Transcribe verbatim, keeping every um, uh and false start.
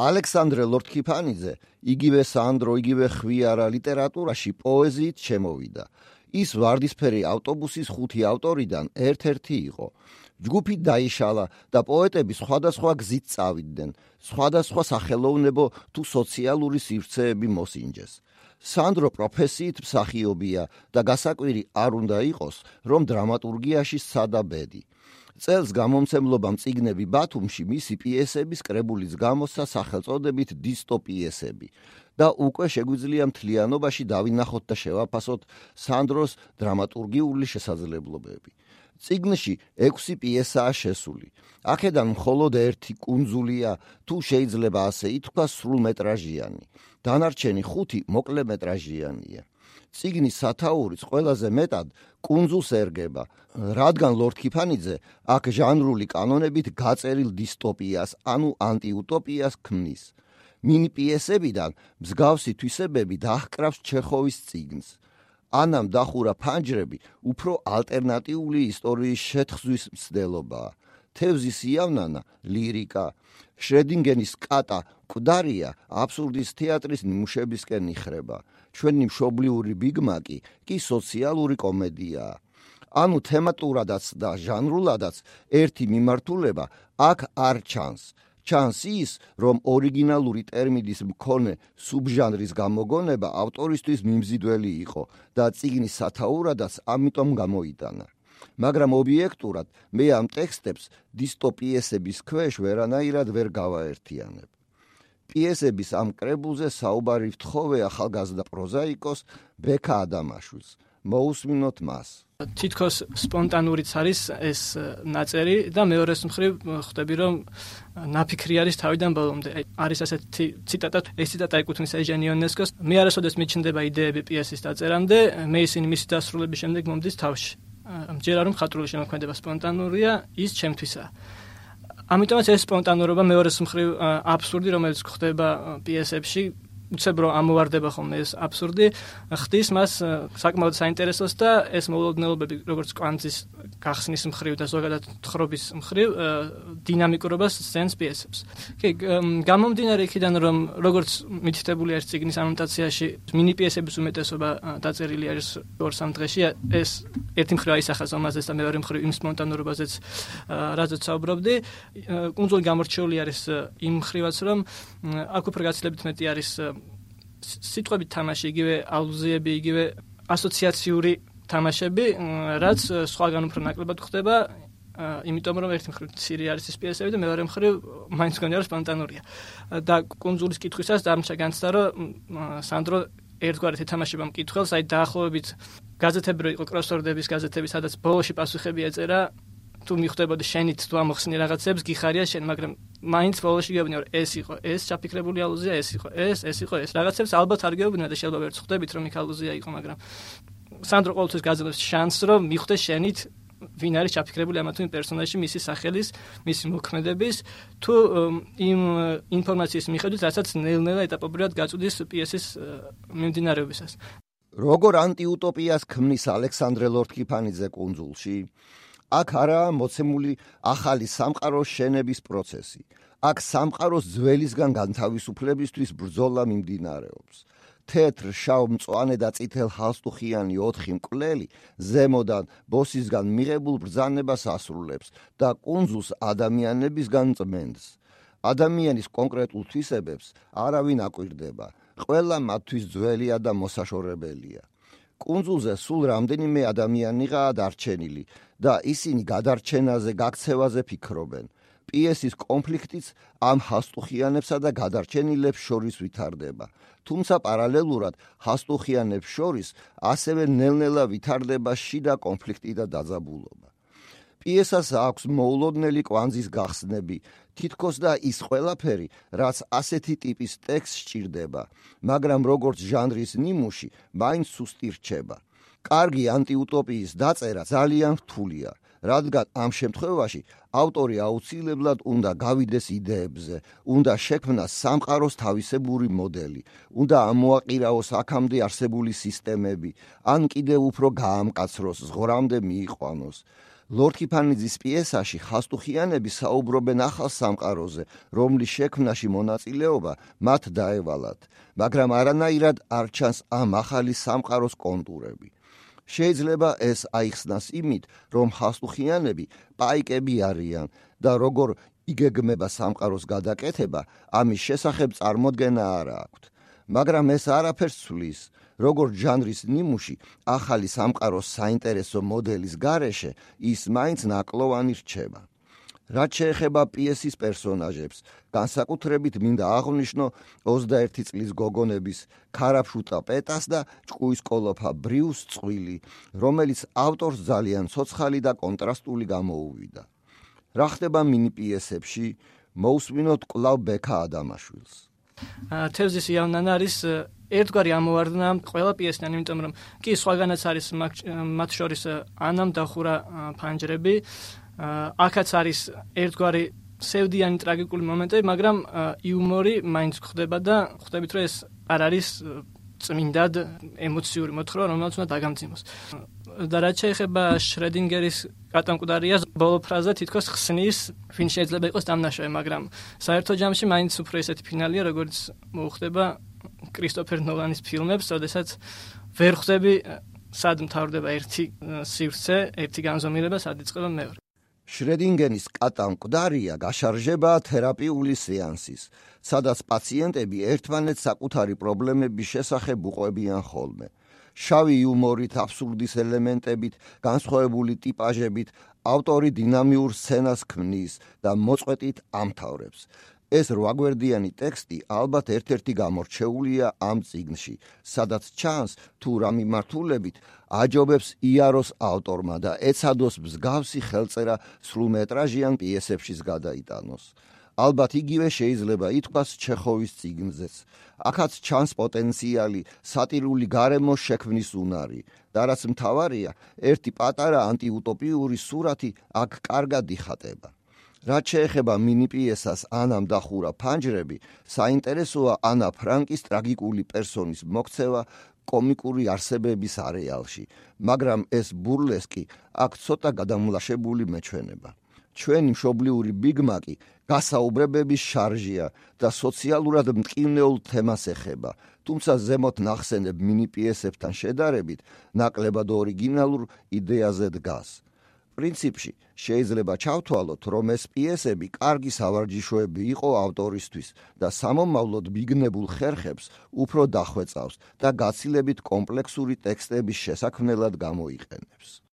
ალექსანდრე ლორთქიფანიძე იგივე სანდრო, იგივე ხვიარა ლიტერატურაში პოეზიით შემოვიდა. ის ვარდისფერი ავტობუსის ხუთი ავტორიდან ერთ-ერთი იყო. ჯგუფი დაიშალა და პოეტები სხვადასხვა გზით წავიდნენ, სხვადასხვა სახელოვნებო თუ სოციალური სივრცეები მოსინჯეს. სანდრო პროფესიით მსახიობია და გასაკვირი არ უნდა იყოს, რომ დრამატურგიაში სცადა ბედი. წელს გამომცემლობამ წიგნები ბათუმში მისი პიესების კრებულიც გამოსცა სახელწოდებით დისტოპიესები და უკვე შეგვიძლია მთლიანობაში დავინახოთ და შევაფასოთ სანდროს დრამატურგიული შესაძლებლობები. წიგნში ექვსი პიესაა შესული. აქედან მხოლოდ ერთი კუნძულია, თუ შეიძლება ასე ითქვას, სრულმეტრაჟიანი. დანარჩენი ხუთი მოკლემეტრაჟიანია. წიგნის სათაურიც ყველაზე მეტად კუნძულს ერგება, რადგან ლორთქიფანიძე აქ ჟანრული კანონებით გაწერილ დისტოპიას, ანუ ანტიუტოპიას ქმნის. მინი პიესებიდან მსგავსი თვისებები დაჰკრავს ჩეხოვის წიგნს. ანამ დახურა ფანჯრები უფრო ალტერნატიული ისტორიის შეთხზვის მცდელობაა. თევზის იავნანა ლირიკა, შრედინგენის კატა მკვდარია აბსურდის თეატრის ნიმუშებისკენ იხრება. ჩვენი მშობლიური ბიგმაკი კი სოციალური კომედიაა. ანუ თემატურადაც და ჟანრულადაც ერთი მიმართულება აქ არ ჩანს. ჩანს ის, რომ ორიგინალური ტერმინის მქონე სუბჟანრის გამოგონება ავტორისთვის მიმზიდველი იყო და წიგნის სათაურადაც ამიტომ გამოიტანა. მაგრამ ობიექტურად მე ამ ტექსტებს დისტოპიესების ქვეშ ვერანაირად ვერ გავაერთიანებ. პიესების ამ კრებულზე საუბარი ვთხოვე ახალგაზრდა პროზაიკოს ბექა ადამაშვილს. მოусმინოთ მას. თითქოს სპონტანურიც არის ეს ნაწერი და მეორეს მხრივ ხვდები რომ ნაფიქრი არის თავიდან ბოლომდე. არის ასეთი ციტატა, ეს ციტატა ეკუთვნის ეჟენ იონესკოს. მე არასოდეს მიჩნდება იდეები პიესის დაწერამდე, მე ისინი მისი დასრულების შემდეგ მომდის თავში. მჯერა რომ ხატრული შემოქმედება სპონტანურია, ის ჩემთვისაა. ამიტომაც ეს სპონტანურობა მეორეს მხრივ აბსურდი, რომელიც ხდება პიესებში, უცებ რომ ამოვარდება ხოლმე ეს აბსურდი, ხდის მას საკმაოდ საინტერესოს და ეს მოულოდნელობები, როგორც კვანძის გახსნის მხრივ და ზოგადად თხრობის მხრივ დინამიკურობას სცენს პიესებს. კი, გამომდინარე იქიდან, რომ როგორც მითითებული არის წიგნის ანოტაციაში, მინი პიესების უმეტესობა დაწერილი არის ორ-სამ დღეში, ეს ერთი მხრივ აისახავს ამაზეც და მეორე მხრივ იმ სპონტანურობაზეც, რაზეც საუბრობდი. კუნძული გამორჩეული არის იმ მხრივაც, რომ აქ უფრო გაცილებით მეტი არის სიტყვებით თამაში, იგივე ალუზიები, იგივე ასოციაციური თამაშები, რაც სხვაგან უფრო ნაკლებად ხდება, იმიტომ რომ ერთი მხრივ მცირე არის ეს პიესები და მეორე მხრივ მაინც გონია რომ სპონტანურია. და კუნძულის კითხვისას დამრჩა განცდა, რომ სანდრო ერთგვარად ეთამაშება მკითხველს, აი დაახლოებით გაზეთები რო იყო კროსვორდების გაზეთები, სადაც ბოლოში პასუხები ეწერა, თუ მიხვდებოდი შენით თუ ამოხსნი რაღაცებს, გიხარია შენ, მაგრამ მაინც ბოლოში გეუბნია, რომ ეს იყო, ეს ჩაფიქრებული ალუზია, ეს იყო, ეს, ეს იყო, ეს. რაღაცებს ალბათ არ გეუბნია და შეიძლება ვერც ხვდებით, რომ იქ ალუზია იყო, მაგრამ სანდრო ყოველთვის გაძლევს შანსს, რომ მიხვდეს შენით ვინ არის ჩაფიქრებული ამა თუ იმ პერსონაჟში, მისი სახელის, მისი მოქმედების, თუ იმ ინფორმაციის მიხედვით, რასაც ნელ-ნელა ეტაპობრივად გაწვდის პიესის მიმდინარეობისას. როგორ ანტიუტოპიას ქმნის ალექსანდრე ლორთქიფანიძე კუნძულში? აქ არაა მოცემული ახალი სამყაროს შენების პროცესი. აქ სამყაროს ძველისგან განთავისუფლებისთვის ბრძოლა მიმდინარეობს. თეთრ, შავ, მწვანე და წითელ ჰალსტუხიანი ოთხი მკვლელი ზემოდან ბოსისგან მიღებულ ბრძანებას ასრულებს და კუნძულს ადამიანებისგან წმენდს. ადამიანის კონკრეტულ თვისებებს არავინ აკვირდება. ყველა მათთვის ძველია და მოსაშორებელია. კუნძულზე სულ რამდენიმე ადამიანიღაა დარჩენილი და ისინი გადარჩენაზე, გაქცევაზე ფიქრობენ. პიესის კონფლიქტიც ამ ჰასტუხიანებსა და გადარჩენილებს შორის ვითარდება. თუმცა პარალელურად ჰასტუხიანებს შორის ასევე ნელ-ნელა ვითარდება შიდა კონფლიქტი და დაძაბულობა. პიესას აქვს მოულოდნელი კვანძის გახსნები, თითქოს და ის ყველაფერი, რაც ასეთი ტიპის ტექსტს სჭირდება, მაგრამ როგორც ჟანრის ნიმუში, მაინც სუსტი რჩება. კარგი ანტიუტოპიის დაწერა ძალიან რთულია, რადგან ამ შემთხვევაში ავტორი აუცილებლად უნდა გავიდეს იდეებზე, უნდა შექმნას სამყაროს თავისებური მოდელი, უნდა ამოაყირაოს აქამდე არსებული სისტემები, ან კიდევ უფრო გაამკაცროს, ზღვრამდე მიიყვანოს. ლორდ კიფანიძის პიესაში ხასტუხიანები საუბრობენ ახალ სამყაროზე, რომლის შექმნაში მონაწილეობა მათ დაევალათ, მაგრამ არანაირად არ ჩანს ამ ახალი სამყაროს კონტურები. შეიძლება ეს აიხსნას იმით, რომ ხასტუხიანები პაიკები არიან და როგორ იგეგმება სამყაროს გადაკეთება, ამის შესახებ წარმოდგენა არ აქვთ. მაგრამ ეს არაფერს ცვლის, როგორც ჟანრის ნიმუში ახალი სამყაროს საინტერესო მოდელის გარეშე ის მაინც ნაკლოვანი რჩება. რაც შეეხება პიესის პერსონაჟებს, განსაკუთრებით მინდა აღვნიშნო ოცდაერთი წლის გოგონების ქარაფშუტა პეტას და ჭკუის კოლოფა ბრიუს წყვილი, რომელიც ავტორს ძალიან ცოცხალი და კონტრასტული გამოუვიდა. რა ხდება მინი პიესებში, მოусმინოთ კვლავ ბექა ადამაშვილს. თევზის იავნანა არის ერთგვარი ამოვარდნა ყველა პიესიდან, იმიტომ რომ კი სხვაგანაც არის მათ შორის ანამ დახურა ფანჯრები, აქაც არის ერთგვარი სევდიანი ტრაგიკული მომენტები, მაგრამ იუმორი მაინც გვხდება და ხვდებით, რომ ეს არ არის წმინდად ემოციური მოთხრობა, რომელიც უნდა დაგამძიმოს. და რაც შეეხება შრედინგერის კატამკვდარიას, ბოლო ფრაზა თითქოს ხსნის, ვინ შეიძლება იყოს დამნაშავე, მაგრამ საერთო ჯამში მაინც უფრო ესეთი ფინალია, როგორც მოუხდება კრისტოფერ ნოლანის ფილმებს, როდესაც ვერ ხვდები სად მთავრდება ერთი სივრცე, ერთი განზომილება, სად იწყება მეორე. შრედინგერის კატამკვდარია გაშარჟება თერაპიული სეანსის, სადაც პაციენტები ერთმანეთს საკუთარი პრობლემების შესახებ უყვებიან ხოლმე. შავი იუმორით, აბსურდის ელემენტებით, განსხვავებული ტიპაჟებით, ავტორი დინამიურ სცენას ქმნის და მოწყვეტით ამთავრებს. ეს რვაგვერდიანი ტექსტი ალბათ ერთ-ერთი გამორჩეულია ამ წიგნში, სადაც ჩანს თუ რა მიმართულებით აჯობებს იაროს ავტორმა და ეცადოს მსგავსი ხელწერა სრულმეტრაჟიან პიესებშიც გადაიტანოს. ალბათ იგივე შეიძლება ითქვას ჩეხოვის წიგნზეც. აქაც ჩანს პოტენციალი სატირული გარემოს შექმნის უნარი და რაც მთავარია, ერთი პატარა ანტიუტოპიური სურათი აქ კარგად იხატება. რაც შეეხება მინი პიესას ანამ დახურა ფანჯრები, საინტერესოა ანა ფრანკის ტრაგიკული პერსონის მოქცევა კომიკური არსებების არეალში, მაგრამ ეს ბურლესკი აქ ცოტა გადამლაშებული მეჩვენება. ჩვენი მშობლიური ბიგმაკი გასაუბრებების შარჟია და სოციალურად მტკივნეულ თემას ეხება, თუმცა ზემოთ ნახსენებ მინი პიესებთან შედარებით ნაკლებად ორიგინალურ იდეაზე დგას. პრინციპში შეიძლება ჩავთვალოთ, რომ ეს პიესები კარგი სავარჯიშოები იყო ავტორისთვის და სამომავლოდ ბიგნებულ ხერხებს უფრო დახვეწავს და გაცილებით კომპლექსური ტექსტების შესაქმნელად გამოიყენებს.